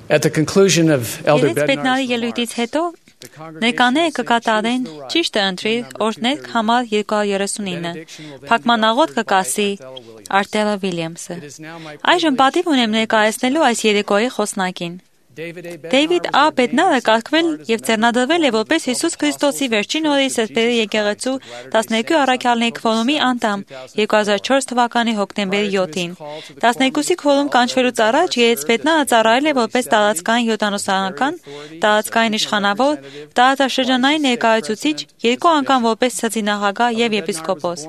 At the conclusion of Elder Երեց պետնարի Bednar's ելույթից հետո ներկաները կկատարեն ճիշտը ընտրի օրհներ համար 239 փակմանաղոտ կկասի Արտելա Վիլյամսը Այժմ պատիվ ունեմ ներկայացնելու այս երեկոյի խոսնակին Դեյվիդ Ա. Բեդնարը կարգվել եւ ձեռնադրվել է որպես Հիսուս Քրիստոսի վերջին օրերի սրբերի եկեղեցու 12 առաքյալների քվորումի անդամ 2004 թվականի հոկտեմբերի 7-ին 12-ի քվորում կանչվելուց առաջ Երեց Բեդնարը ծառայել է որպես տարածքային յոդանոսանական, տարածքային իշխանավոր, տարածաշրջանային ներկայացուցիչ, 2 անգամ որպես ցածինախագահ եւ եպիսկոպոս։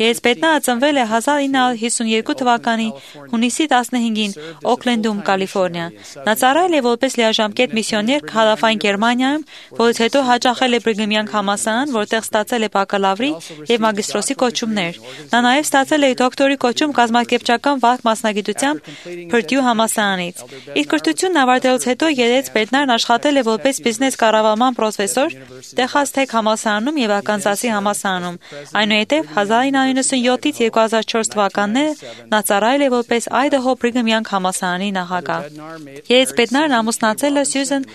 Երեց Բեդնարը ծնվել է 1952 թվականի հունիսի 15-ին Օքլենդում, Կալիֆոռնիա։ Նա ծառայել է որպես լիաժամկետ միսիոներ Հարավային Գերմանիայում, որից հետո հաճախել է Բրիգհամյան համալսարան, որտեղ ստացել է բակալավրի եւ մագիստրոսի կոչումներ։ Նա նաեւ ստացել է դոկտորի կոչում կազմակերպչական վարք մասնագիտությամբ Purdue համալսարանից։ Իր կրթությունն ավարտելուց հետո Երեց Բեդնարն աշխատել է որպես բիզնես կառավարման պրոֆեսոր Տեխաս Թեք համալսարանում եւ Արկանզասի համալսարանում։ Այնուհետեւ 1997-ից 2004 թվականները նա ծառայել է որպես Idaho Բրիգհամյան համալսարանի նախագահ։ Երեց Բեդնարն ամուսնացել է Սյուզան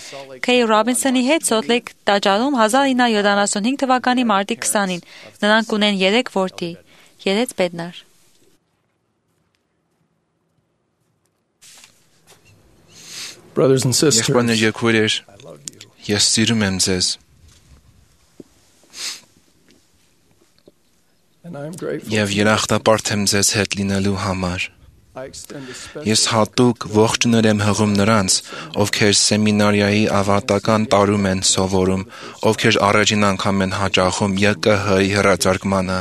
Քեյ Ռոբինսոնի հետ Սոլտ տաճարում 1975 թվականի մարտի 20-ին։ Նրանք ունեն 3 որդի։ Երեց Բեդնար։ brothers and sisters, Եղբայրներ եւ քույրեր, ես սիրում եմ ձեզ and I am grateful. եւ երախտապարտ եմ ձեզ հետ լինելու համար։ I extend a special Ես հատուկ ողջունել եմ հղում նրանց, ովքեր սեմինարիայի ավարտական տարում են սովորում, ովքեր առաջին անգամ են հաճախում ԵԿՀ-ի հեռարձակմանը։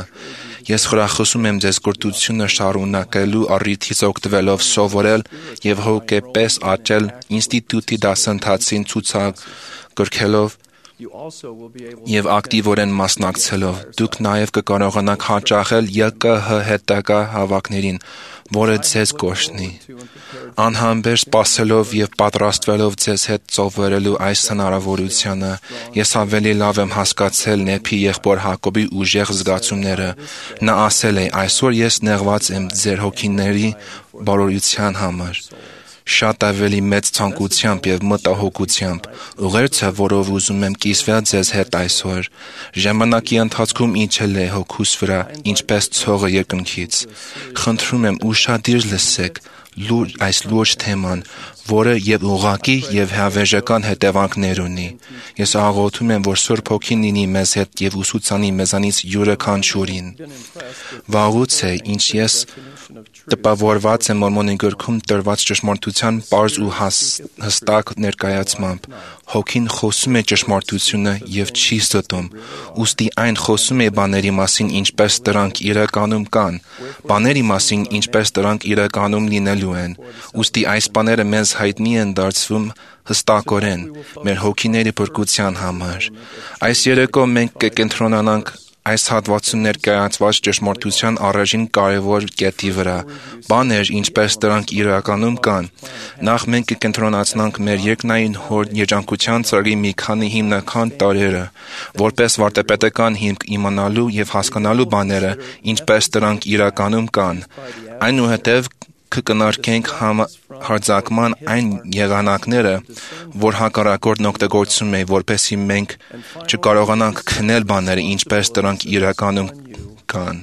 Ես խրախուսում եմ ձեզ կրթությունը շարունակելու առիթից օգտվելով սովորել եւ հոգեպես աճել ինստիտուտի դասընթացին ցուցակրքելով you also will be able եւ ակտիվորեն մասնակցելով դուք նաեւ կկարողանաք հաճախել ԵԿՀ հետագա հավաքներին, որը ձեզ կօրհնի։ Անհամբեր սպասելով եւ պատրաստվելով ձեզ հետ ծովերելու այս հնարավորությանը, ես ավելի լավ եմ հասկացել Նեփի եղբոր Հակոբի ուժեղ զգացումները։ Նա ասել է. այսօր ես նեղված եմ ձեր հոգիների բարօրության համար։ Շատ ավելի մեծ ցանկությամբ եւ մտահոգությամբ ուղերձը, որով ուզում եմ կիսվել ձեզ հետ այսօր, ժամանակի ընթացքում իջել է հոգուս վրա, ինչպես ցողը երկնքից։ Խնդրում եմ ուշադիր լսեք այս լուրջ թեման, որը եւ ուղղակի եւ հավերժական հետևանքներ ունի։ Ես աղոթում եմ, որ Սուրբ Հոգին լինի մեզ հետ եւ ուսուցանի մեզանից յուրաքանչյուրին։ Վաղուց է, ինչ ես տպավորված եմ Մորմոնի գրքում տրված ճշմարտության պարզ ու հստակ ներկայացմամբ։ Հոգին խոսում է ճշմարտությունը եւ չի ստում։ Ուստի այն խոսում է բաների մասին, ինչպես դրանք իրականում կան, բաների մասին, ինչպես դրանք իրականում լինելու են։ Ուստի այս բաները մեզ հայտնի են դարձվում հստակորեն մեր հոգիների փրկության համար։ Այս երեկո մենք կկենտրոնանանք այս հատվածում ներկայացված ճշմարտության առաջին կարևոր կետի վրա, բաներ, ինչպես դրանք իրականում կան։ Նախ մենք կկենտրոնացնենք մեր երկնային հոր երջանկության ծրագրի մի քանի հիմնական տարրերը, որպես վարդապետական հիմք իմանալու եւ հասկանալու բաները, ինչպես դրանք իրականում կան։ Այնուհետև կկնարկենք հարձակման այն եղանակները, որ հակառակորդն օգտագործում է, որպեսզի մենք չկարողանանք քնել բաները, ինչպես դրանք իրականում կան։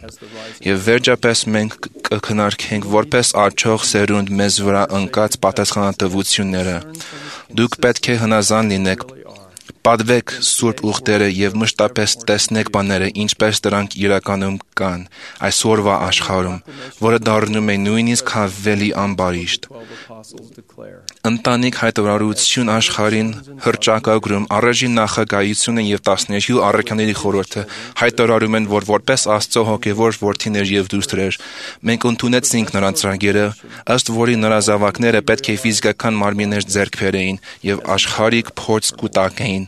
Եվ վերջապես մենք կքննարկենք որպես աճող սերունդ մեզ վրա ընկած պատասխանատվությունները։ Դուք պետք է հնազան լինեք, պատվեք սուրբ ուխտերը եւ մշտապես տեսնեք բաները, ինչպես դրանք իրականում կան այսօրվա աշխարհում, որը դառնում է նույնիսկ ավելի ամբարիշտ։ Ընտանիք հայտարարություն աշխարհին հռչակագրում առաջին նախագահությունը եւ 12 առաքյալների խորհուրդը հայտարարում են, որ որպես Աստծո հոգեվոր որդիներ եւ դուստրեր մենք ընդունեցինք նրանց ծրագիրը, ըստ որի նրա զավակները պետք է ֆիզիկական մարմիններ ձեռք բերեին եւ աշխարհիկ փորձ կուտակեին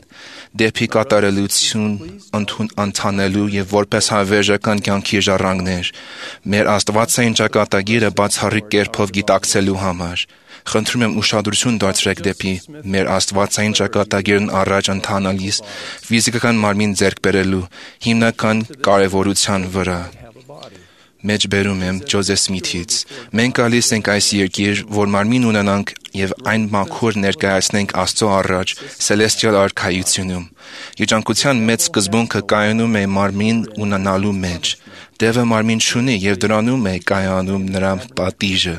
դեպի կատարելություն ընթանելու եւ որպես հավերժական կյանքի ժառանգներ մեր Աստվածային ճակատագիրը բացառիկ կերպով գիտակցելու համար։ Խնդրում եմ ուշադրություն դարձրեք դեպի մեր Աստվածային ճակատագիրն առաջ ընթանալիս ֆիզիկական մարմին ձեռք բերելու հիմնական կարևորության վրա։ մեջբերում եմ Ջոզեֆ Սմիթից։ Մենք գալիս ենք այս երկիր, որ մարմին ունենանք եւ այն մաքուր ներկայացնենք Աստծո առաջ Celestial արքայությունում։ Երջանկության մեծ սկզբունքը կայանում է մարմին ունենալու մեջ։ Տերը մարմին չունի եւ դրանում է կայանում նրա պատիժը։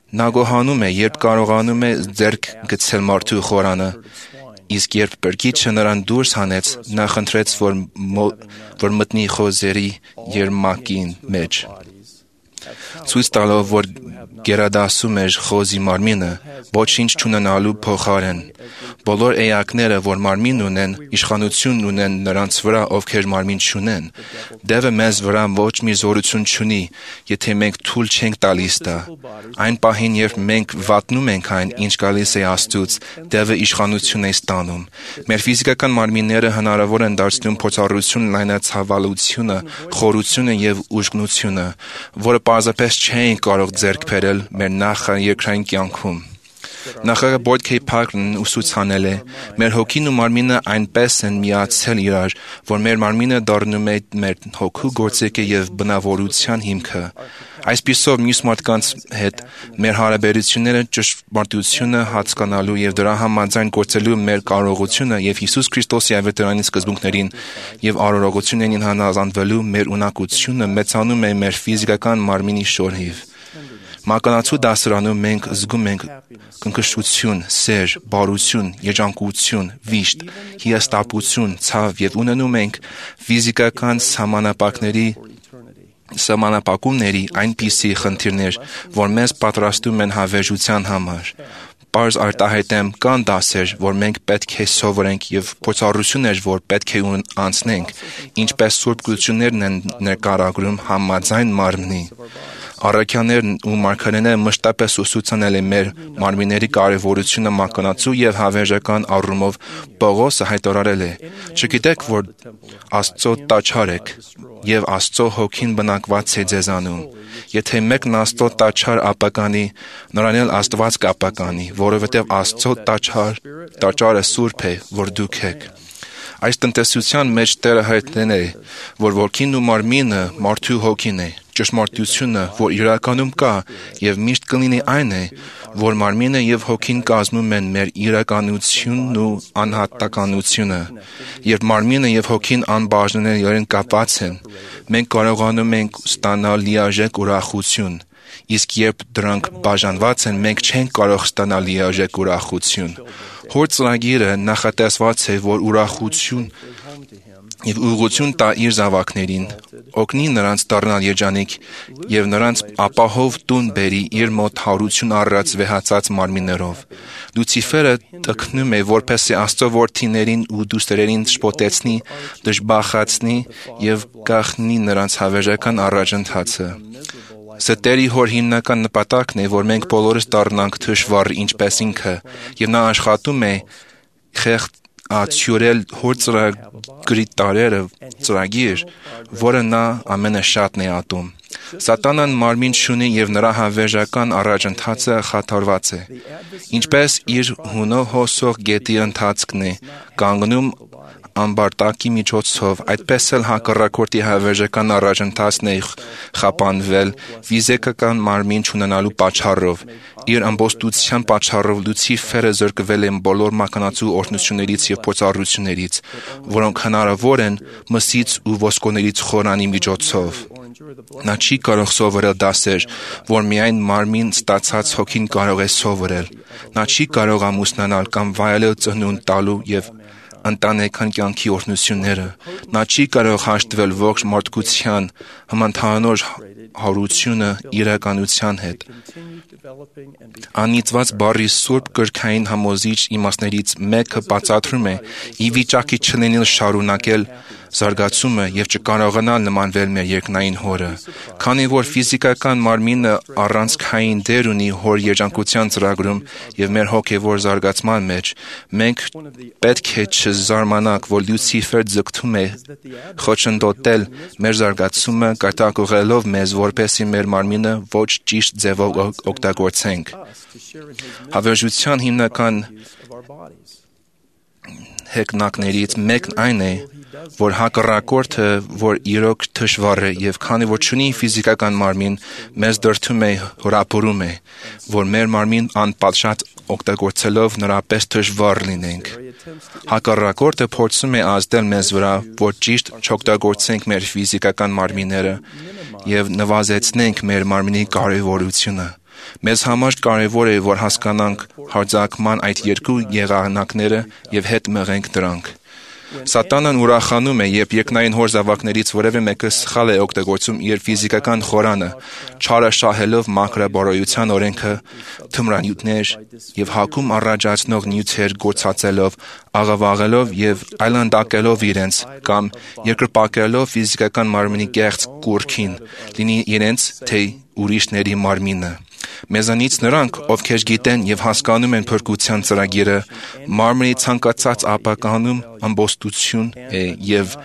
Նա գոհանում է, երբ կարողանում է ձեռք գցել մարդու խորանը, իսկ երբ Բրկիչը նրան դուրս հանեց, նա խնդրեց, որ մտնի խոզերի երմակին մեջ։ Ցույց տալով, որ գերադասում էր խոզի մարմինը, ոչինչ չունենալու փոխարեն։ Բոլոր էակները, որ մարմին ունեն, իշխանություն ունեն նրանց վրա, ովքեր մարմին չունեն։ Դևը մեզ վրա ոչ մի զորություն չունի, եթե մենք թույլ չենք տալիս դա։ Այն պահին, երբ մենք վատնում ենք այն, ինչ գալիս է Աստծուց, Դևը իշխանություն է ստանում։ Մեր ֆիզիկական մարմինները հնարավոր են դարձնում փորձառություն լայնացավալությունը, խորությունը եւ ուժգնությունը, որը պարզապես չէին կարող ձեռք բերել մեր նախաերկրային կյանքում։ Նախագահ Բոյդ Քեյ Փարքերն ուսուցանել է. մեր հոգին ու մարմինը այնպես են միացել իրար, որ մեր մարմինը դառնում է մեր հոգու գործիքը եւ բնավորության հիմքը։ Այսպիսով մյուս մարդկանց հետ մեր հարաբերությունները ճշմարտությունը հասկանալու եւ դրա համաձայն գործելու մեր կարողությունը եւ Հիսուս Քրիստոսի ավետարանի սկզբունքներին եւ արարողություններին հանազանդվելու մեր ունակությունը մեծանում է մեր ֆիզիկական մարմինի շնորհիվ։ Մականացու դասարանում մենք զգում ենք կնքշություն, սեր, բարություն, երջանկություն, վիշտ, հիասթափություն, ցավ եւ ունենում ենք ֆիզիկական սահմանափակումների այնպիսի խնդիրներ, որ մեզ պատրաստում են հավերժության համար։ Պարզ արտահայտեմ, կան դասեր, որ մենք պետք է սովորենք եւ փորձառություններ, որ պետք է անցնենք, ինչպես Սուրբ Գրություններն են ներկայացնում համաձայն մարմնի։ Առաքյալներն ու մարգարեները մշտապես ուսուցանել են մեր մարմինների կարևորությունը մականացու եւ հավերժական առումով Պողոսը հայտարարել է. «Չգիտեք, որ Աստծո տաճար եք եւ Աստծո հոգին բնակված է ձեզանում։ Եթե մեկն Աստծո տաճար ապականի, նրան էլ Աստված կապականի, որովհետեւ Աստծո տաճարը սուրբ է, որ դուք եք»։ Այս տնտեսության մեջ Տերը հայտնել է, որ ոգին ու մարմինը մարդու հոգին է։ Ճշմարտությունը, որ իրականում կա եւ միշտ կլինի այն է, որ մարմինը եւ հոգին կազմում են մեր իրականությունն ու անհատականությունը։ Երբ մարմինը եւ հոգին անբաժանելիորեն կապված են, մենք կարողանում ենք ստանալ լիարժեք ուրախություն, իսկ երբ դրանք բաժանված են, մենք չենք կարող ստանալ լիարժեք ուրախություն։ Հոր ծրագիրը նախատեսված է, որ ուրախություն եւ ուղղություն տա իր զավակներին, օգնի նրանց դառնալ երջանիկ եւ նրանց ապահով տուն բերի իր մոտ հարություն առած վեհացած մարմիններով։ Լուցիֆերը տքնում է, որպեսզի Աստծո որդիներին ու դուստերերին շփոթեցնի, դժբախացնի եւ գաղտնի նրանց հավերժական առաջընթացը։ Ստերի հոր հիմնական նպատակն է, որ մենք բոլորս դառնանք թշվառ ինչպես ինքը, եւ նա աշխատում է ացյուրել հոր ծրագրի տարերը ծրագիր, որը նա ամենաշատն է ատում։ Սատանան մարմին չունի եւ նրա հավերժական առաջընթացը խաթարված է։ Ինչպես իր հունով հոսող գետի ընթացքն է կանգնում ամբարտակի միջոցով, այդպես էլ հակառակորդի հավերժական առաջընթացն է խափանվել ֆիզիկական մարմին չունենալու պատճառով։ Իր ամբոստության պատճառով Լուցիֆերը զրկվել է բոլոր մականացու օրհնություններից եւ փորձառություններից, որոնք հնարավոր են մսից ու ոսկորներից խորանի միջոցով։ Նա չի կարող սովորել դասեր, որ միայն մարմին ստացած հոգին կարող է սովորել։ Նա չի կարող ամուսնանալ կամ վայելել ծնունդ տալու եւ ընտանեկան կյանքի օրհնությունները։ Նա չի կարող հաշտվել ողջ մարդկության համընդհանուր հարությունը իրականության հետ։ Անիծված բառի սուրբ կրքային համոզիչ իմաստներից մեկը բացատրում է՝ ի վիճակի չլինել շարունակել զարգացումը եւ չկարողանալ նմանվել մեր երկնային Հորը։ Քանի որ ֆիզիկական մարմինը առանցքային դեր ունի Հոր երջանկության ծրագրում եւ մեր հոգեվոր զարգացման մեջ, մենք պետք է չզարմանանք, որ Լուցիֆեր ձգտում է խոչընդոտել մեր զարգացումը, կատակողելով մեզ, որպեսզի մեր մարմինը ոչ ճիշտ ձևով օգտագործենք։ Հավերժության հիմնական հեգնակներից մեկն այն է, որ հակառակորդը, որ իրոք թշվառ է եւ քանի որ ունի ֆիզիկական մարմին, մեզ դրդում է հորապուրում է, որ մեր մարմին անպատշաճ օգտագործելով նրա պես թշվառ լինենք։ Հակառակորդը փորձում է ազդել մեզ վրա, որ ճիշտ չօգտագործենք մեր ֆիզիկական մարմինները եւ նվազեցնենք մեր մարմինի կարեւորությունը։ Մեզ համար կարևոր է, որ հասկանանք հարձակման այդ երկու եղանակները եւ հետ մղենք դրանք։ Սատանան ուրախանում է, երբ երկնային հոր զավակներից որևէ մեկը սխալ է օգտագործում իր ֆիզիկական խորանը, չարը շահելով մաքրաբարոյության օրենքը, թմրանյութներ եւ հակում առաջացնող նյութեր գործածելով, աղավաղելով եւ այլանդակելով իրենց կամ երկրպագելով ֆիզիկական մարմնի կեղծ կուռքին, լինի իրենց թե ուրիշների մարմինը։ Մեզանից նրանք, ովքեր գիտեն եւ հասկանում են փրկության ծրագիրը, մարմնի ցանկացած ապականում ամբոստություն է եւ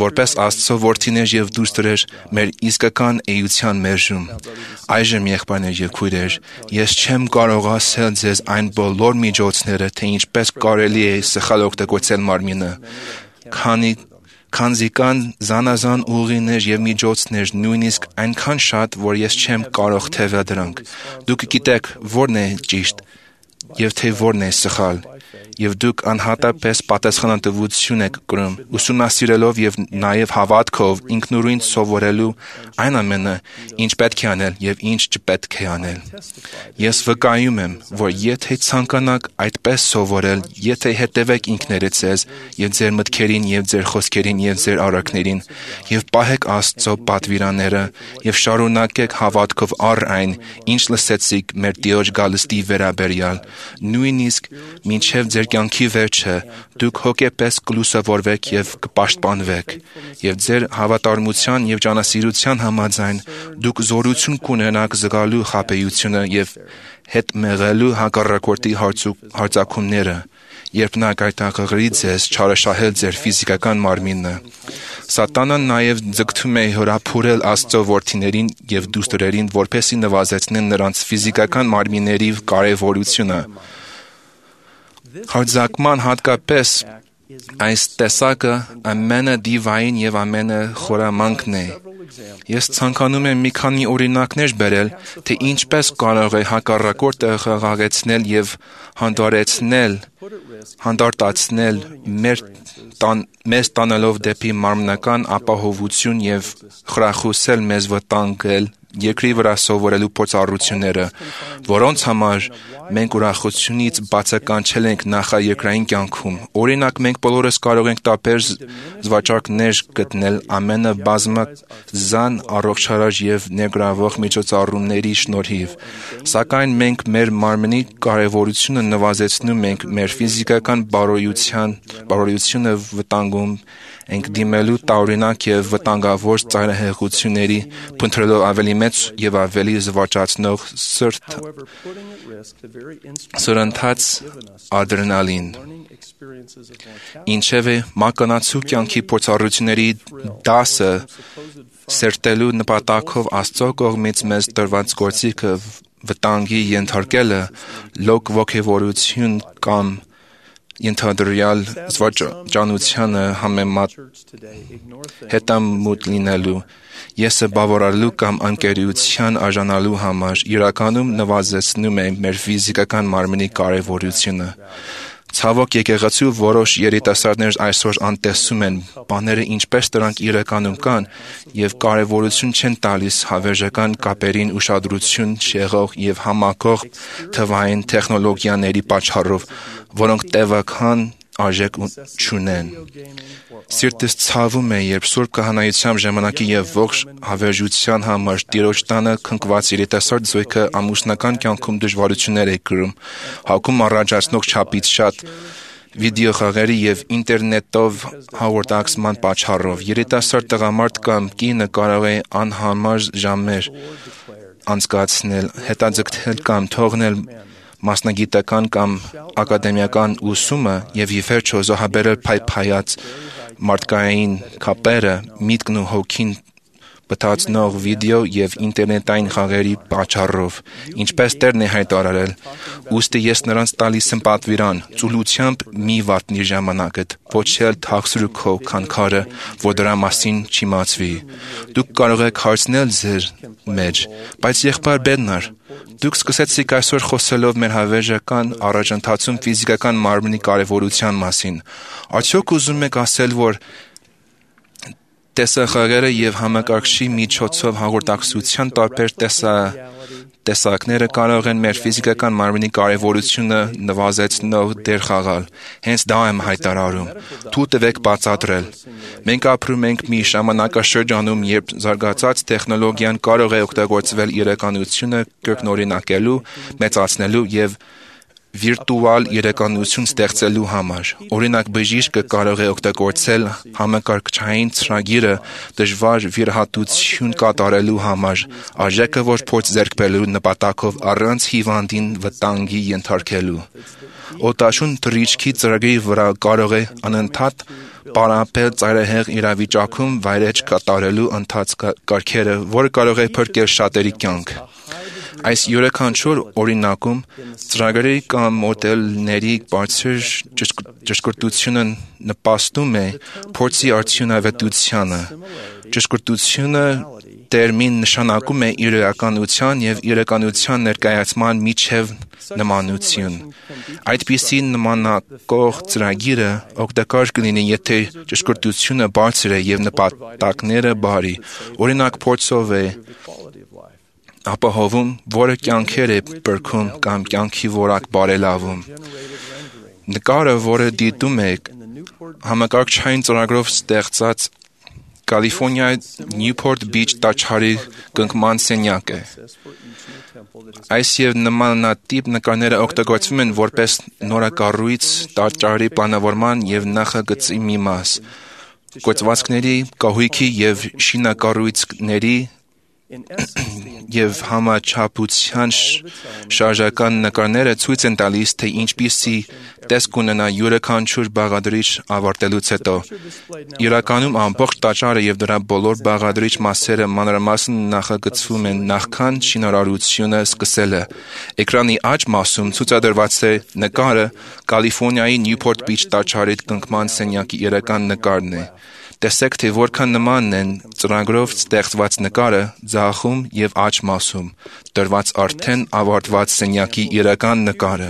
որպես Աստծո որդիներ եւ դուստրեր մեր իսկական էության մերժում։ Այժմ եղբայրներ եւ քույրեր, ես չեմ կարող ասել ձեզ այն բոլոր միջոցները, թե ինչպես կարելի է սխալ օգտագործել մարմինը, քանզի կան զանազան ուղիներ եւ միջոցներ, նույնիսկ այնքան շատ, որ ես չեմ կարող թևել դրանք։ Դուք գիտեք որն է ճիշտ եւ թե որն է սխալ, եւ դուք անհատապես պատասխանատվություն եք կրում, ուսումնասիրելով եւ նաեւ հավատքով ինքնուրույն սովորելու այն ամենը, ինչ պետք է անել եւ ինչ չպետք է անել։ Ես վկայում եմ, որ եթե ցանկանաք այդպես սովորել, եթե հետևեք ինքներդ ձեզ եւ ձեր մտքերին եւ ձեր խոսքերին եւ ձեր արարքներին եւ պահեք Աստծո պատվիրանները եւ շարունակեք հավատքով առ այն, ինչ լսեցիք մեր Տիրոջ գալստի վերաբերյալ, նույնիսկ մինչև ձեր կյանքի վերջը դուք հոգեպես կլուսավորվեք եւ կպաշտպանվեք եւ ձեր հավատարմության եւ ճանասիրության համաձայն դուք զորություն կունենաք զգալու խաբեությունը եւ հետ մեղելու հակառակորդի հարձակումները, երբ նա կայտակղրի ձեզ չարաշահել ձեր ֆիզիկական մարմինը։ Սատանան նաեւ ձգտում է հորափուրել Աստծո որդիներին եւ դուստրերին, որպեսզի նվազեցնեն նրանց ֆիզիկական մարմինների կարեւորությունը։ Հարձակման հատկապես այս տեսակը ամենադիվային եւ ամենախորամանկն է։ Ես ցանկանում եմ մի քանի օրինակներ բերել, թե ինչպես կարող է հակառակորդը խաղաղեցնել եւ հանդարտացնել մեզ տանելով դեպի մարմնական ապահովություն եւ խրախուսել մեզ վտանգել երկրի վրա սովորելու փորձառությունները, որոնց համար մենք ուրախությունից բացականչել ենք նախաերկրային կյանքում։ Օրինակ, մենք բոլորս կարող ենք տարբեր զվարճանքներ գտնել ամենաբազմազան առողջարար եւ ներգրավող միջոցառումների շնորհիվ, սակայն մենք մեր մարմնի կարեւորությունը նվազեցնում ենք, մեր ֆիզիկական բարոյությունը վտանգում ենք դիմելու տարօրինակ եւ վտանգավոր ծայրահեղությունների, փնտրելով ավելի մեծ եւ ավելի զվարճացնող սրընթաց ադրենալին։ Ինչևէ, մականացու կյանքի փորձառությունների դասը սերտելու նպատակով Աստծո կողմից մեզ տրված գործիքը վտանգի ենթարկելը լոկ ոգևորություն կամ ենթադրյալ զվարճանությանը հետամուտ լինելու, եսը բավարարելու կամ անկերության արժանալու համար իրականում նվազեցնում է մեր ֆիզիկական մարմնի կարեւորությունը։ Ցավոք եկեղեցու որոշ երիտասարդներ այսօր անտեսում են բաները ինչպես դրանք իրականում կան եւ կարեւորություն չեն տալիս հավերժական կապերին ուշադրություն չեղող եւ համակող թվային տեխնոլոգիաների պատճառով, որոնք տևական արժեք չունեն։ Սիրտս ցավում է, երբ Սուրբ Քահանայության ժամանակի եւ ողջ հավերժության համար Տիրոջ տանը քնկված երիտասարդ զույգը ամուսնական կյանքում դժվարություններ է կրում, հակում առաջացնող չափից շատ վիդեոխաղերի եւ ինտերնետով հաղորդակցման պատճառով երիտասարդ տղամարդ կամ կինը կարող է անհամար ժամեր անցկացնել, հետաձգտել կամ թողնել մասնագիտական կամ ակադեմիական ուսումը եւ ի վերջո զոհաբերել փայփայած մարդկային կապերը, միտքն ու հոգին բթացնող վիդեո եւ ինտերնետային խաղերի պատճառով, ինչպես Տերն է հայտարարել, ուստի ես նրանց տալիս եմ պատվիրան, ծուլությամբ մի վատնի ժամանակդ, ոչ էլ թաքցրուքով քանքարը, որ դրա մասին չիմացվի։ Դուք կարող եք հարցնել ձեր մեջ, բայց եղբայր Բերնար, դուք սկսեցիք այսօր խոսելով մեր հավերժական առաջընթացում ֆիզիկական մարմնի կարևորության մասին։ Արդյոք ուզում եք ասել, որ տեսախաղերը եւ համակարգչի միջոցով հաղորդակցության տարբեր տեսակները կարող են մեր ֆիզիկական մարմնի կարևորությունը նվազեցնող դեր խաղալ։ Հենց դա եմ հայտարարում։ Թույլ տվեք բացատրել։ Մենք ապրում ենք մի ժամանակաշրջանում, երբ զարգացած տեխնոլոգիան կարող է օգտագործվել իրականությունը կրկնօրինակելու, մեծացնելու եւ վիրտուալ իրականություն ստեղծելու համար։ Օրինակ, բժիշկը կարող է օգտագործել համակարգչային ծրագիրը դժվար վիրահատություն կատարելու համար, արժեքը որ փորձ ձեռք բերելու նպատակով առանց հիվանդին վտանգի ենթարկելու։ Օտաշուն թռիչքի ծրագրի վրա կարող է անընդհատ պարապել ծայրահեղ իրավիճակում վայրէջք կատարելու ընթացքարքերը, որը կարող է փրկել շատերի կյանք։ Այս յուրաքանչյուր օրինակում ծրագրերի կամ մոդելների բարձր ճշգրտությունը նպաստում է փորձի արդյունավետությանը։ Ճշգրտությունը տերմին նշանակում է իրականության եւ իրականության ներկայացման միջև նմանություն։ Այդպիսի նմանակող ծրագիրը օգտակար կլինի, եթե ճշգրտությունը բարձր է եւ նպատակները բարի։ Օրինակ, փորձով է ապահովում, որը կյանքեր է բրգում կամ կյանքի որակ բարելավում։ Նկարը, որը դիտում եք, համակարգչային ծրագրով ստեղծած Կալիֆոռնիայի Նյուփորթ Բիչ տաճարի կնքման սենյակ է։ Այս եւ նմանատիպ նկարները օգտագործվում են որպես նորակառույց տաճարի պլանավորման եւ նախագծի մի մաս։ Գործվածքների, կահույքի եւ շինակառույցների եւ համաչափության շարժական նկարները ցույց են տալիս, թե ինչպիսի տեսք ունենա յուրաքանչյուր բաղադրիչ ավարտելուց հետո։ Իրականում ամբողջ տաճարը եւ դրա բոլոր բաղադրիչ մասերը մանրամասն նախագծվում են նախքան շինարարությունը սկսելը։ Էկրանի աջ մասում ցուցադրված է նկարը Կալիֆոռնիայի Նյուփորթ Բիչ տաճարի կնքման սենյակի իրական նկարն է։ Տեսեք, թե որքան նման են ծրագրով ստեղծված նկարը ձախում եւ աջ մասում, տրված արդեն ավարտված սենյակի իրական նկարը։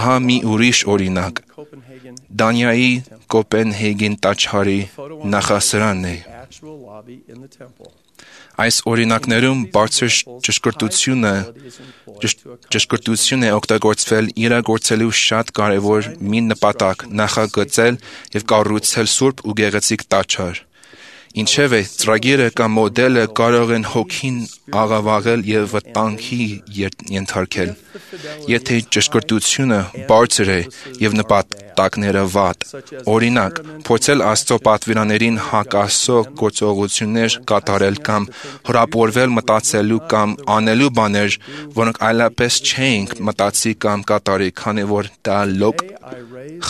Ահա մի ուրիշ օրինակ։ Դանիայի Կոպենհագեն տաճարի նախասրանն է։ Այս օրինակներում բարձր ճշգրտություն է օգտագործվել իրագործելու շատ կարևոր մի նպատակ՝ նախագծել եւ կառուցել սուրբ ու գեղեցիկ տաճար։ Ինչևէ, ծրագիրը կամ մոդելը կարող են հոգին աղավաղել եւ վտանգի ենթարկել։ Եթե ճշգրտությունը բարձր է եւ նպատակները վատ, օրինակ, փորձել Աստծո պատվիրաներին հակասող գործողություններ կատարել կամ հրապուրվել մտածելու կամ անելու բաներ, որոնք այլապես չէինք մտածի կամ կատարի, քանի որ դա լոկ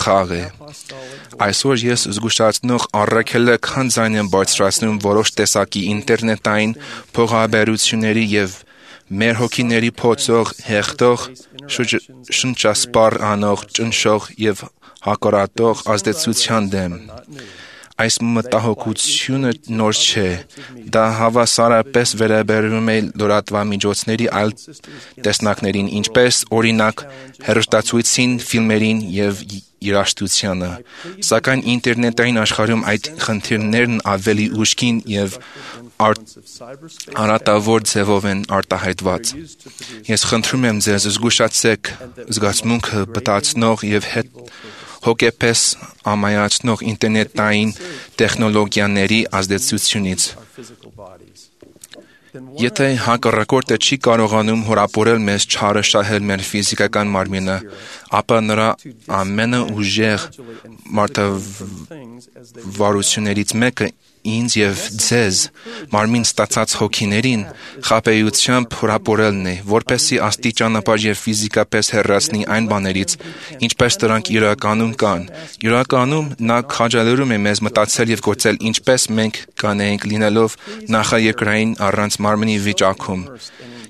խաղ է։ Այսօր ես զգուշացնող առաքելական ձայն եմ բարձրացնում որոշ տեսակի ինտերնետային փոխաբերությունների եւ մեր հոգիների փոցող, հեղտող, շնչասպառ անող, ճնշող եւ հակառատող ազդեցության դեմ։ Այս մտահոգությունը նոր չէ։ Դա հավասարապես վերաբերվում է լրատվամիջոցների այլ տեսակներին, ինչպես օրինակ հեռուստացույցին, ֆիլմերին եւ երաժշտությանը։ Սակայն ինտերնետային աշխարհում այդ խնդիրներն ավելի ուժգին եւ արատավոր ձևով են արտահայտված։ Ես խնդրում եմ ձեզ զգուշացեք զգացմունքը բտացնող եւ հոգեպես ամայացնող ինտերնետային տեխնոլոգիաների ազդեցությունից։ Եթե հակառակորդը չի կարողանում հրապուրել մեզ չարաշահել մեր ֆիզիկական մարմինը, ապա նրա ամենաուժեղ մարտավարություններից մեկը ինձ եւ ձեզ մարմին ստացած հոգիներին խաբեությամբ հրապուրելն է, որպեսզի աստի ճանապարհ եւ ֆիզիկապես հեռացնի այն բաներից, ինչպես դրանք իրականում կան։ Իրականում նա քաջալերում է մեզ մտածել եւ գործել ինչպես մենք կանեինք լինելով նախաերկրային առանց մարմնի վիճակում։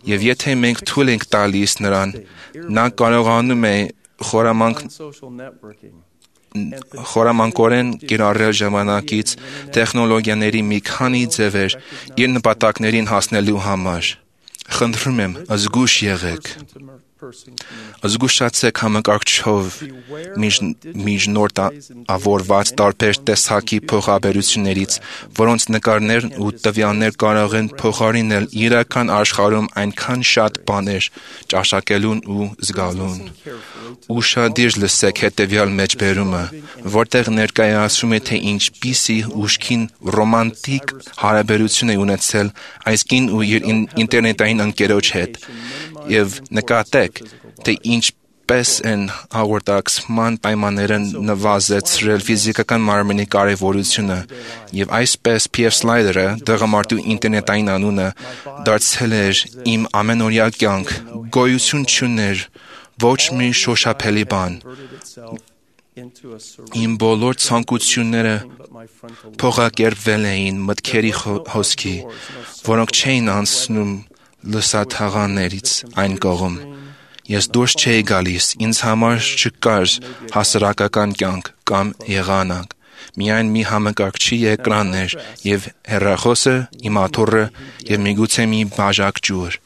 Եվ եթե մենք թույլ ենք տալիս նրան, նա կարողանում է խորամանկորեն կիրառել ժամանակից տեխնոլոգիաների մի քանի ձևեր իր նպատակներին հասնելու համար։ Խնդրում եմ, զգույշ եղեք։ Զգուշացեք համակարգչով միջնորդավորված տարբեր տեսակի փոխաբերություններից, որոնց նկարներն ու տվյալներ կարող են փոխարինել իրական աշխարհում այնքան շատ բաներ ճաշակելուն ու զգալուն։ Ուշադիր լսեք հետևյալ մեջբերումը, որտեղ ներկայացում է, թե ինչպիսի ուշքին ռոմանտիկ հարաբերություն է ունեցել այս կին ու իր ինտերնետային ընկերոջ հետ, եւ նկատեք, թե ինչպես են հաղորդակցման պայմանները նվազեցրել ֆիզիկական մարմնի կարևորությունը, եւ այսպես P.F. Slider-ը, դղամարդու ինտերնետային անունը, դարձել էր իմ ամենօրյա կյանք, գոյություն չուներ ոչ մի շոշափելի բան։ Իմ բոլոր ցանկությունները փոխակերպվել էին մտքերի հոսքի, որոնք չէին անցնում լսաթաղաններից այն կողմ։ Ես դուրս չէի գալիս, ինձ համար չկար հասարակական կյանք կամ եղանակ։ Միայն մի համակարգչի էկրաններ եւ հեռախոսը, իմ աթոռը եւ միգուցե մի բաժակ ջուր։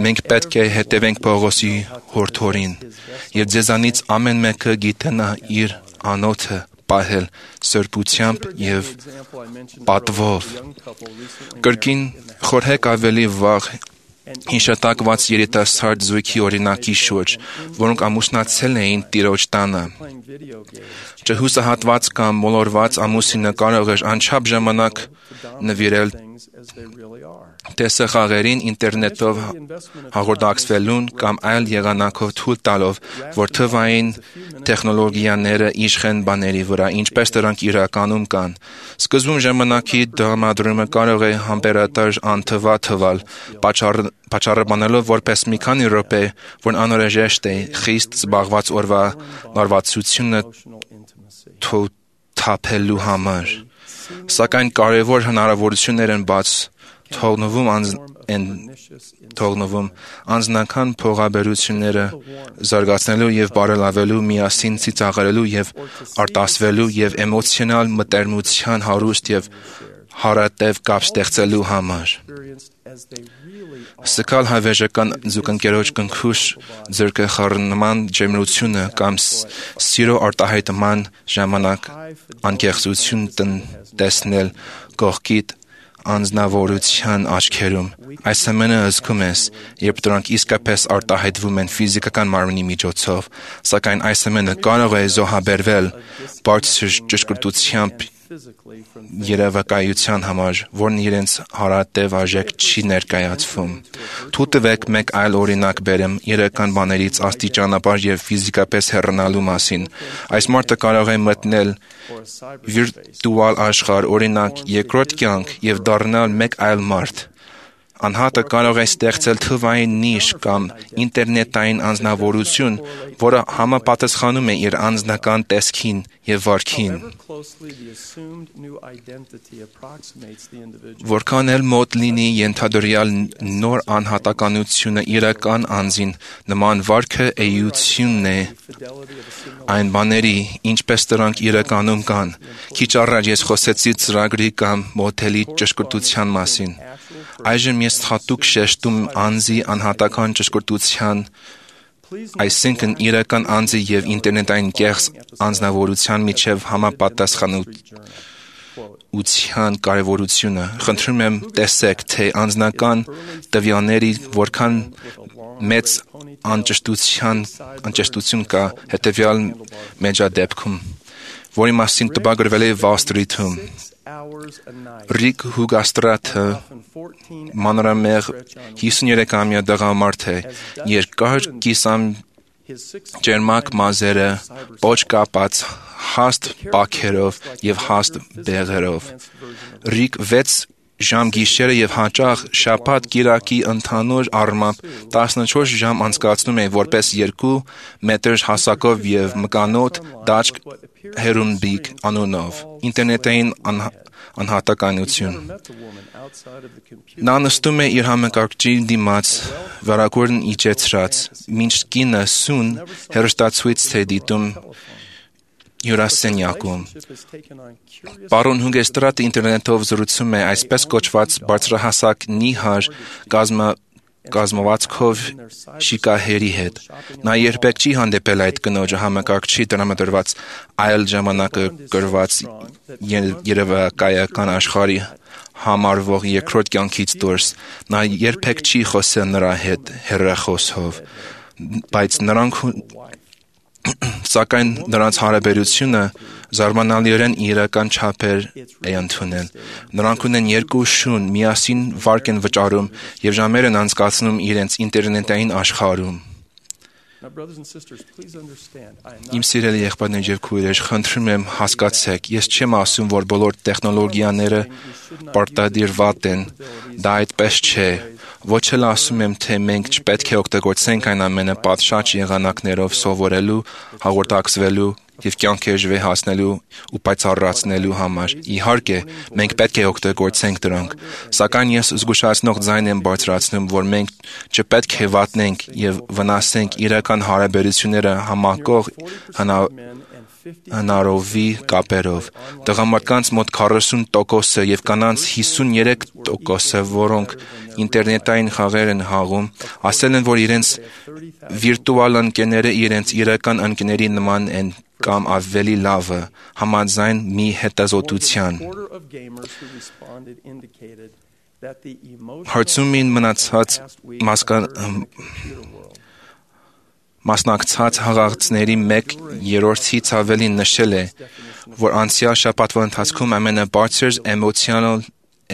Մենք պետք է հետևենք Պողոսի հորդորին, եւ ձեզանից ամեն մեկը գիտենա իր անոթը պահել սրբությամբ եւ պատվով։ Կրկին խորհեք ավելի վաղ հիշատակված երիտասարդ զույգի օրինակի շուրջ, որոնք ամուսնացել էին տիրոջ տանը։ Չհուսահատված կամ մոլորված ամուսինը կարող էր անչափ ժամանակ նվիրել տեսախաղերին ինտերնետով հաղորդակցվելուն կամ այլ եղանակով թույլ տալով, որ թվային տեխնոլոգիաները իշխեն բաների վրա, ինչպես դրանք իրականում կան։ Սկզբում ժամանակի տրամադրումը կարող է համբերատար անթվա թվալ, պատճառաբանելով որպես մի քանի րոպե, որ անհրաժեշտ է խիստ զբաղված օրվա լարվածությունը թոթափելու համար։ Սակայն կարևոր հնարավորություններ են բաց թողնվում անձնական փոխաբերությունները զարգացնելու եւ բարելավելու, միասին ծիծաղելու եւ արտասվելու եւ էմոցիոնալ մտերմության հարուստ եւ հարատև կապ ստեղծելու համար։ Սկալ հավերժական զուգընկերոջ կնքուշ ձեռքխառնման ջերմությունը կամ սիրո արտահայտման ժամանակ անկեղծություն տեսնել կողքիդ անձնավորության աչքերում։ Այս ամենը զգում ես, երբ դրանք իսկապես արտահայտվում են ֆիզիկական մարմնի միջոցով, սակայն այս ամենը կարող է զոհաբերվել բարձր ճշգրտությամբ երևակայության համար, որն իրենց հարատև արժեք չի ներկայացվում։ Թույլ տվեք մեկ այլ օրինակ բերեմ իրական բաներից աստիճանաբար եւ ֆիզիկապես հեռանալու մասին։ Այս մարդը կարող է մտնել վիրտուալ աշխարհ, օրինակ երկրորդ կյանք, եւ դառնալ մեկ այլ մարդ։ Անհատը կարող է ստեղծել թվային նիշ կամ ինտերնետային անձնավորություն, որը համապատասխանում է իր անձնական տեսքին եւ վարքին։ Որքան էլ մոտ լինի ենթադրյալ նոր անհատականությունը իրական անձին, նման վարքը էությունն է այն բաների, ինչպես դրանք իրականում կան։ Քիչ առաջ ես խոսեցի ծրագրի կամ մոդելի ճշգրտության մասին։ Այժմ ես հատուկ շեշտում անձի անհատական ճշգրտության, այսինքն իրական անձի եւ ինտերնետային կեղծ անձնավորության միջև համապատասխանության կարևորությունը։ Խնդրում եմ տեսեք, թե անձնական տվյալների որքան մեծ անճշտություն կա հետևյալ մեջադեպքում, որի մասին տպագրվել է Wall Street-ում։ Ռիկ Հուգաստրատը մանրամեղ 53-ամյա տղամարդ է, երկար ջերմակ մազերը, պոչ կապած, հաստ պաքերով եւ հաստ բեղերով։ Ռիկ 6 ժամ գիշերը եւ հաճախ շաբաթ կիրակի ընդհանուր առմամբ 14 ժամ անցկացնում էին որպես 2 մետր հասակով եւ մկանոտ դաշտ հերումբիկ անունով ինտերնետային անհատականություն։ Նա նստում է իր համակարգչի դիմաց վարագույրն իջեցրած, մինչ կինը սուն հեռուստացույց է դիտում հյուրասենյակում։ Պարոն Հուգեստրատը ինտերնետով զրուցում է այսպես կոչված բարձրահասակ նիհար կազմվածքով շիկահերի հետ։ Նա երբեք չի հանդիպել այդ կնոջը համակարգչի տրամադրված այլ ժամանակագրված երևակայական աշխարհի համարվող երկրորդ կյանքից դուրս։ Նա երբեք չի խոսել նրա հետ հեռախոսով, բայց սակայն նրանց հարաբերությունը զարմանալիորեն իրական չափեր է ընդունել։ Նրանք ունեն 2 շուն, միասին վարկ են վճարում եւ ժամեր են անցկացնում իրենց ինտերնետային աշխարհում։ Իմ սիրելի եղբայրներ եւ քույրեր, խնդրում եմ հասկացեք, ես չեմ ասում, որ բոլոր տեխնոլոգիաները պարտադիր վատ են, դա այդպես չէ։ Ոչ էլ ասում եմ, թե մենք չպետք է օգտագործենք այն ամենը պատշաճ եղանակներով սովորելու, հաղորդակցվելու եւ կյանքեժվե հասնելու ու պայծառացնելու համար։ Իհարկե, մենք պետք է օգտագործենք դրանք, սակայն ես զգուշացնող ձայն եմ բարձրացնում, որ մենք չպետք է վատնենք եւ վնասենք իրական հարաբերությունները համակող հնարովի կապերով։ Տղամարդկանց մոտ 40% եւ կանանց 53%, որոնք ինտերնետային խաղեր են հաղում, ասել են, որ իրենց վիրտուալ ընկերները իրենց իրական ընկերների նման են կամ ավելի լավը, համաձայն մի հետազոտության։ Հարցումին մնացած մասնակցած հաղորդակցների 1/3-ից ավելին նշել է, որ անցյալ շաբաթվա ընթացքում ամենաբարձր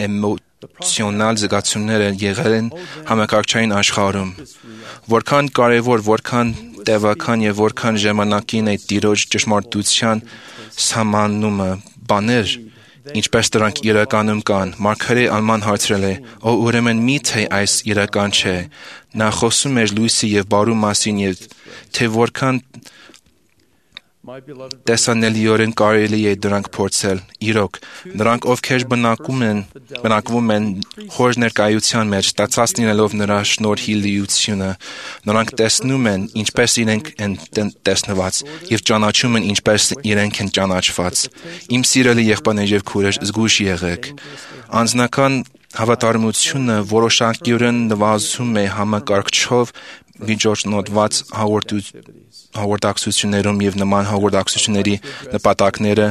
էմոցիոնալ զգացումները եղել են համակարգչային աշխարհում։ Որքան կարևոր, որքան տևական եւ որքան ժամանակին է տիրոջ ճշմարտության սահմանումը բաներ, ինչպես դրանք իրականում կան։ Մարգարե Ալման հարցրել է. «Ո ուրեմն միթե այս իրական չէ»։ Նա խոսում էր լույսի եւ բարու մասին եւ թե որքան տեսանելիորեն կարելի է դրանք փորձել։ Իրոք, նրանք, ովքեր բնակվում են հոր ներկայության մեջ, ստացած լինելով նրա շնորհի լիությունը, նրանք տեսնում են, ինչպես իրենք են տեսնված, եւ ճանաչում են, ինչպես իրենք են ճանաչված։ Իմ սիրելի եղբայրներ եւ քույրեր, զգույշ եղեք։ Անձնական հավատարմությունը որոշակիորեն նվազում է համակարգչով միջոցնոտված հաղորդակցություններում եւ նման հաղորդակցությունների նպատակները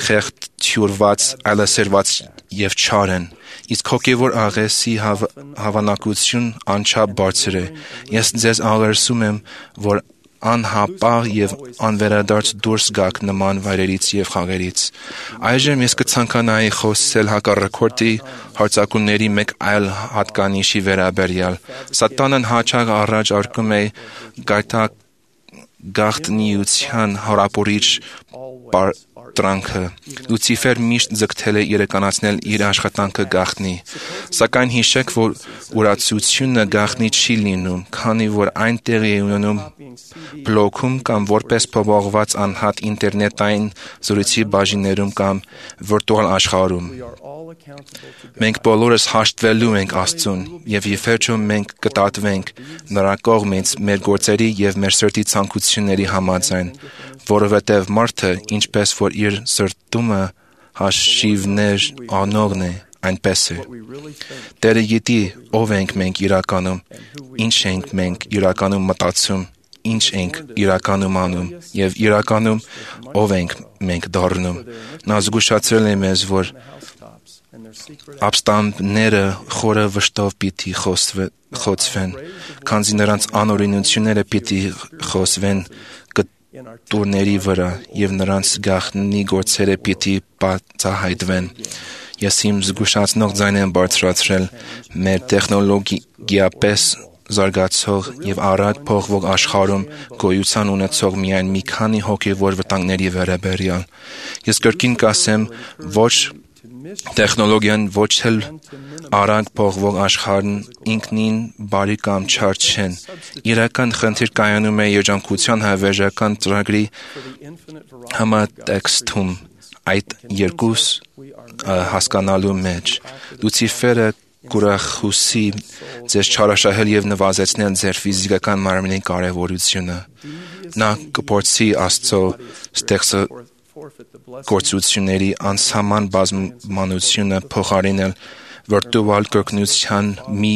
խեղդյուրված, այլասերված եւ չար են։ Իսկ հոգեվոր աղեսի հավանակություն անչափ բարձր է։ Ես ձեզ աղերսում եմ, որ անհապաղ եւ անվերադարձ դուրս գաք նման վայրերից եւ խաղերից։ Այժմ ես կցանկանայի խոսել հակառակորդի հարձակումների մեկ այլ հատկանիշի վերաբերյալ։ Սատանան հաճախ առաջարկում է գաղտնիության հարապորիչ տրանքը։ Լուցիֆեր միշտ ձգտել է իրականացնել իր աշխատանքը գաղտնի։ Սակայն հիշեք, որ ուրացությունը գաղտնի չի լինում, քանի որ այն տեղի է ունենում բլոքում կամ որպես փոփոխված անհատ ինտերնետային զրույցի բաժիններում կամ վիրտուալ աշխարհում։ Մենք բոլորս հաշտվելու ենք Աստծուն, եւ իվերջո մենք կտատվենք նրա կողմից մեր գործերի եւ մեր սրտի ցանկությունների համաձայն, որովհետեւ մարդը, ինչպես որ իր սրտումը հաշիվներ անողն է, այնպես է։ Տերը գիտի ով ենք մենք իրականում, ինչ ենք մենք իրականում մտածում, ինչ ենք իրականում անում եւ իրականում ով ենք մենք դառնում։ Նա զգուշացրել է մեզ, որ ապստամբները խորը վշտով պիտի խոցվեն, քանզի նրանց անօրինությունները պիտի խոսվեն կտուրների վրա եւ նրանց գաղտնի գործերը պիտի բացահայտվեն։ Ես իմ զգուշացնող ձայն եմ բարձրացրել մեր տեխնոլոգիապես զարգացող եւ արագ փոխվող աշխարհում գոյության ունեցող միայն մի քանի հոգեվոր վտանգների վերաբերյալ։ Ես կրկին կասեմ, ոչ տեխնոլոգիան, ոչ էլ արագ փոխվող աշխարհն ինքնին բարի կամ չար չեն։ Իրական խնդիր կայանում է երջանկության հավերժական ծրագրի համատեքստում այդ երկու հասկանալու մեջ։ Լուցիֆերը կուրախուսի ձեզ չարաշահել եւ նվազեցնել ձեր ֆիզիկական մարմնի կարեւորությունը։ Նա կփորձի Աստծո ստեղծագործությունների անսահման բազմականությունը փոխարինել վիրտուալ կրկնության մի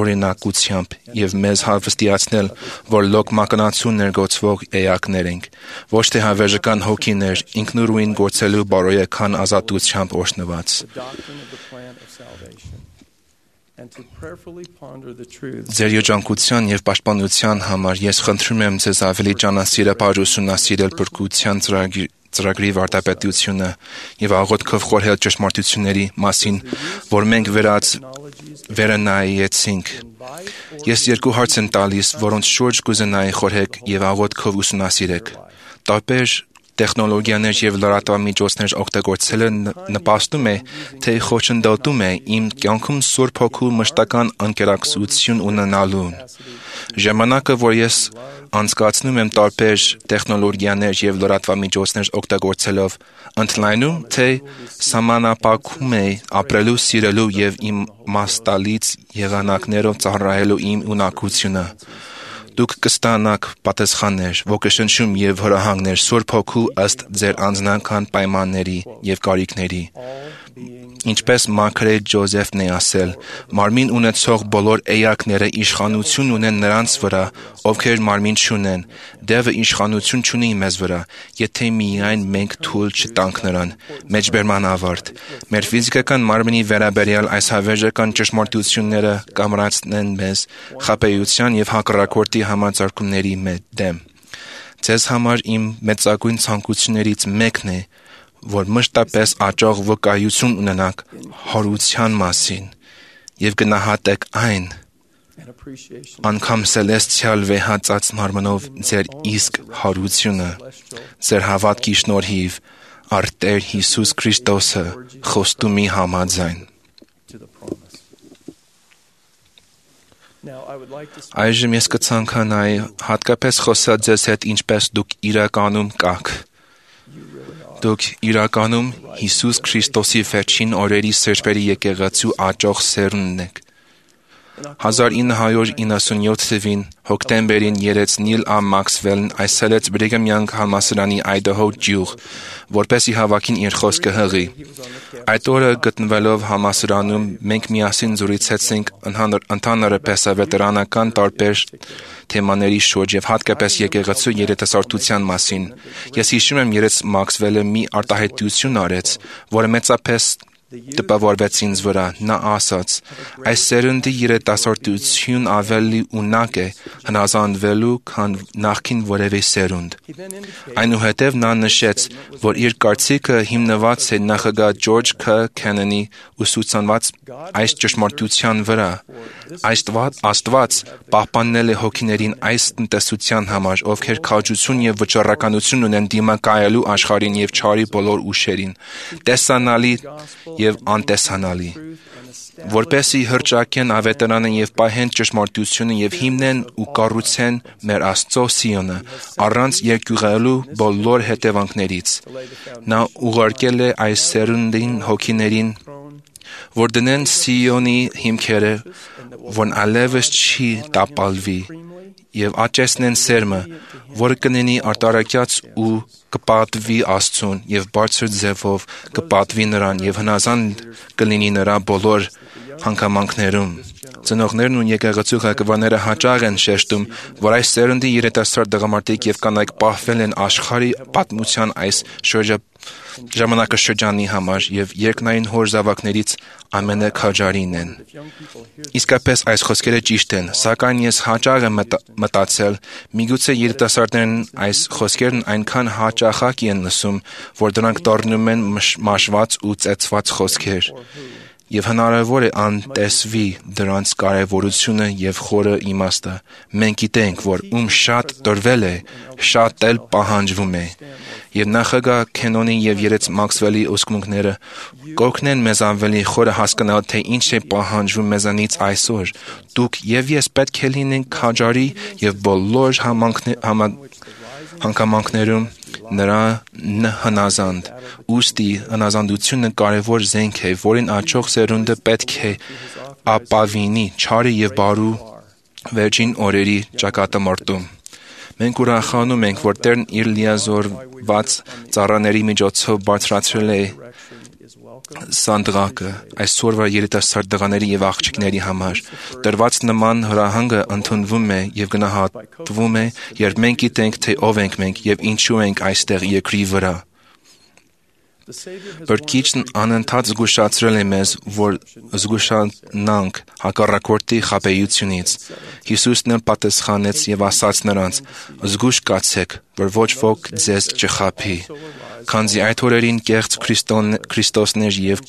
օրինակությամբ եւ մեզ հավաստիացնել, որ լոկ մակնացու ներգործվող էակներ ենք, ոչ թե հավերժական հոգիներ, ինքնուրույն գործելու բարոյական ազատությամբ օրհնված։ Ձեր երջանկության եւ պաշտպանության համար ես խնդրում եմ ձեզ ավելի ճանասիրաբար ուսումնասիրել փրկության ծրագրի վարդապետությունը եւ աղոթքով խորհել ճշմարտությունների մասին, որ մենք վերանայեցինք։ Ես երկու հարց եմ տալիս, որոնց շուրջ կուզենայի խորհեք եւ աղոթքով ուսումնասիրեք։ Տարբեր տեխնոլոգիաներ եւ լրատվամիջոցներ օգտագործելը նպաստում է, թե խոչընդոտում է իմ կյանքում Սուրբ Հոգու մշտական անկերակցություն ունենալուն։ Ժամանակը, որ ես անցկացնում եմ տարբեր տեխնոլոգիաներ եւ լրատվամիջոցներ օգտագործելով, ընդլայնում, թե սահմանափակում է ապրելու, սիրելու եւ իմ մաստալից եղանակներով ծառայելու իմ ունակությունը։ Դուք կստանաք պատասխաններ, ոգեշնչում եւ հրահանգներ Սուրբ Հոգու ըստ ձեր անձնական պայմանների եւ կարիքների։ Ինչպես Մաքրե Ջոզեֆն է ասել, մարմին ունեցող բոլոր էակները իշխանություն ունեն նրանց վրա, ովքեր մարմին չունեն։ Դևը իշխանություն չունի մեզ վրա, եթե միայն մենք թույլ չտանք նրան։ Մեջբերման ավարտ։ Մեր ֆիզիկական մարմնի վերաբերյալ այս հավերժական ճշմարտությունները կամրացնեն մեզ խաբեության եւ հակառակորդի համաձայնությունների դեմ։ Ձեզ համար իմ մեծագույն ցանկություններից մեկն է, որ մշտապես աճող վկայություն ունենաք հարության մասին եւ գնահատեք այն, անգամ սելեստիալ վեհացած մարմնով ձեր իսկ հարությունը, ձեր հավատքի շնորհիվ առ Տեր Հիսուս Քրիստոսը խոստումի համաձայն։ Այժմ ես կցանկանայի հատկապես խոսել ձեզ հետ ինչպես դուք իրականում կաք։ Դուք իրականում Հիսուս Քրիստոսի վերջին օրերի սրբերի եկեղեցու աճող սերունդն եք։ 1997 թվին հոկտեմբերին երեց Նիլ Ա. Մաքսվելն այցելեց Բրիգհամ Յանգ համալսարանի Այդահո ջյուղ, որպեսզի հավաքին իր խոսքը հղի։ Այդ օրը գտնվելով համալսարանում մենք միասին զրուցեցինք ընդհանրապես վետերանական տարբեր թեմաների շուրջ եւ հատկապես եկեղեցու երիտասարդության մասին։ Ես հիշում եմ, երեց Մաքսվելը մի արտահայտություն արեց, որը մեծապես տպավորվեց ինձ վրա։ Նա ասաց. այս սերնդի երիտասարդություն ավելի ունակ է հնազանդվելու, քան նախքին որևէ սերունդ։ Այնուհետև նա նշեց, որ իր կարծիքը հիմնված է նախագահ Ջորջ K. Քեննեդի ուսուցանված այս ճշմարտության վրա։ Աստված պահպանել է հոգիներին այս տնտեսության համար, ովքեր քաջություն եւ վճռականություն ունեն դիմակայելու աշխարհին եւ չարի բոլոր ուժերին, տեսանալի եւ անտեսանալի, որպեսզի հռչակեն ավետարանը եւ պահեն ճշմարտությունը եւ հիմնեն ու կառուցեն մեր Աստծո Սիոնը առանց երկյուղելու բոլոր հետևանքներից։ Նա ուղարկել է այս սերունդին հոգիներին, որ դնեն Սիոնի հիմքերը, որն այլևս չի տապալվի, եւ աճեցնեն սերմը, որը կնենի արտարակյաց ու կպատվի Աստծուն եւ բարձր ձևով կպատվի նրան եւ հնազանդ կլինի նրա բոլոր հանգամանքներում։ Ծնողներն ու եկեղեցու ղեկավարները հաճախ են շեշտում, որ այս սերնդի երիտասարդ տղամարդիկ եւ կանայք պահվել են աշխարհի պատմության այս ժամանակաշրջանի համար եւ երկնային հոր զավակներից ամենաքաջարին են։ Իսկապես այս խոսքերը ճիշտ են, սակայն ես հաճախ եմ մտածել, միգուցե երիտասարդներն այս խոսքերն այնքան հաճախակի են լսում, որ դրանք դառնում են մաշված ու ծեծված խոսքեր։ Եվ հնարավոր է անտեսվի դրանց կարևորությունը եւ խորը իմաստը։ Մենք գիտենք, որ շատ տրվել է, շատ էլ պահանջվում է։ Եվ նախագահ Քենոնի եւ երեց Մաքսվելի ուսմունքները կօգնեն մեզ ավելի խորը հասկանալ, թե ինչ է պահանջվում մեզանից այսօր։ Դուք եւ ես պետք է լինենք քաջարի եւ բոլոր հանգամանքներում նրան հնազանդ։ Ուստի հնազանդությունը կարևոր զենք է, որին աճող սերունդը պետք է ապավինի չարի եւ բարու վերջին օրերի ճակատամարտում։ Մենք ուրախանում ենք, որ Տերն իր լիազորված ծառաների միջոցով բարձրացրել է սանդղակը այսօրվա երիտասարդ տղաների եւ աղջիկների համար։ Տրված նման հրահանգը ընդունվում է եւ գնահատվում է, երբ մենք գիտենք, թե ով ենք մենք եւ ինչու ենք այստեղ երկրի վրա։ Բրկիչն անընդհատ զգուշացրել է մեզ, որ զգուշանանք հակառակորդի խաբեությունից։ Հիսուսն էլ պատասխանեց եւ ասաց նրանց. «Զգուշ կացեք, որ ոչ ոք ձեզ չխաբի, քանզի այդ օրերին կեղծ Քրիստոսներ եւ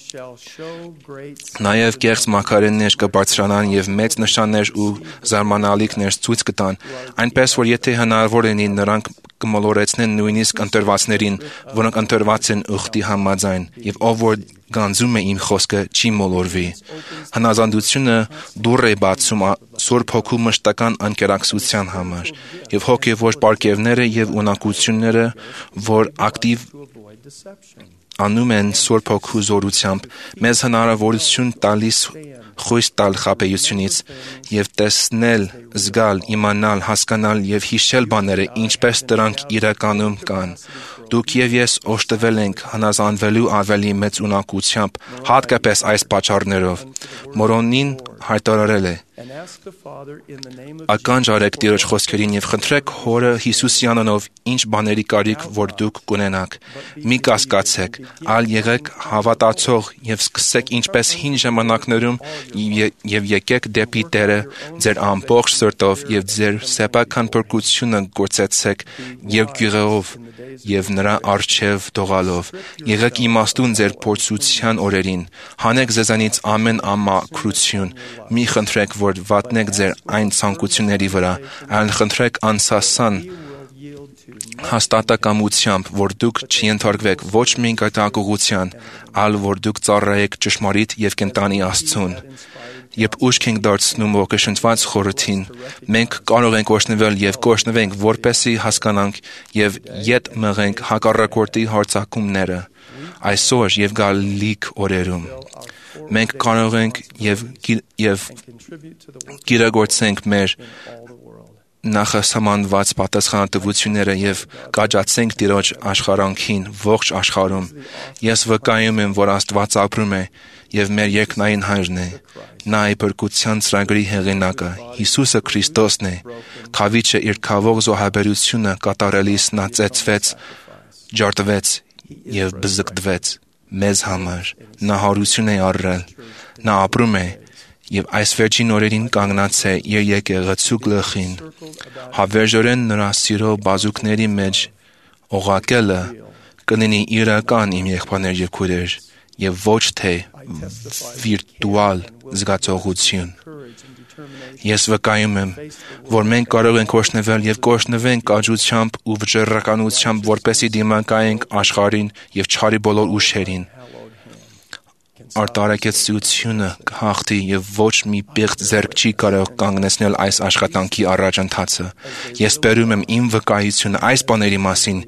նաեւ կեղծ մարգարեներ կբարձրանան եւ մեծ նշաններ ու զարմանալիքներ ցույց կտան, այնպես որ եթե հնարավոր լինի նրանք կմոլորեցնեն նույնիսկ ընտրվածներին, որոնք ընտրված են ուխտի համաձայն, եւ ով որ գանձում է իմ խոսքը չի մոլորվի»։ Հնազանդությունը դուռ է բացում Սուրբ Հոգու մշտական անկերակցության համար, եւ հոգեվոր պարգևները եւ ունակությունները, որ ակտիվ անում են Սուրբ Հոգու զորությամբ, մեզ հնարավորություն տալիս խույս տալ խաբեությունից եւ տեսնել, զգալ, իմանալ, հասկանալ եւ հիշել բաները, ինչպես դրանք իրականում կան։ Դուք եւ ես օժտվել ենք հնազանդվելու ավելի մեծ ունակությամբ, հատկապես այս պատճառներով։ Մորոնին հայտարարել է. «Ականջ արեք Տիրոջ խոսքերին եւ խնդրեք Հորը Հիսուսի անունով ինչ բաների կարիք, որ դուք կունենաք։ Մի կասկածեք, այլ եղեք հավատացող եւ սկսեք ինչպես հին ժամանակներում եւ եկեք դեպի Տերը ձեր ամբողջ սրտով եւ ձեր սեփական փրկությունը գործեցեք երկյուղով եւ նրա առջև դողալով։ Եղեք իմաստուն ձեր փորձության օրերին, հանեք ձեզանից ամեն ամաքրություն, մի խնդրեք, որ վատնեք ձեր այն ցանկությունների վրա, այլ խնդրեք անսասան հաստատակամությամբ, որ դուք չենթարկվեք ոչ մի կատակողության, այլ որ դուք ծառայեք ճշմարիտ եւ կենտանի Աստծուն։ Երբ ուշք ենք դարձնում ոգեշնչված խորհրդին, մենք կարող ենք օժտվել եւ կօժտվենք, որպեսզի հասկանանք եւ ետ մղենք հակառակորդի հարձակումները այսօր եւ գալիք օրերում։ Մենք կարող ենք եւ կիրագործենք մեր նախասահմանված պատասխանատվությունները եւ կաջացենք Տիրոջ աշխարհանքին ողջ աշխարհում։ Ես վկայում եմ, որ Աստված ապրում է եւ մեր երկնային Հայրն է։ Նա է փրկության ծրագրի հեղինակը, Հիսուսը Քրիստոսն է։ Խավիչը իր քավող զոհաբերությունը կատարելիս նա ծեծվեց, ջարդվեց եւ բզկտվեց մեզ համար։ Նա հարություն է առել։ Նա ապրում է եւ այս վերջին օրերին կանգնած է իր եկեղեցու գլխին։ Հավերժորեն նրա սիրո բազուկների մեջ օղակելը կլինի իրական իմ եղբայրներ եւ քույրեր եւ ոչ թե վիրտուալ զգացողություն։ Ես վկայում եմ, որ մենք կարող ենք օժտվել եւ կօժտվենք կաջությամբ ու վճռականությամբ, որպեսզի դիմակայենք աշխարհին եւ չարի բոլոր ուժերին։ Արտարակեցությունը կհաղթի եւ ոչ մի պիղծ ձեռք չի կարող կանգնեցնել այս աշխատանքի առաջընթացը։ Ես բերում եմ իմ վկայությունը այս բաների մասին,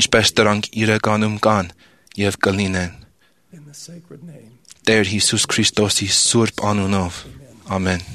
ինչպես դրանք իրականում կան եւ կլինեն։ Տեր Հիսուս Քրիստոսի սուրբ անունով։ Ամեն։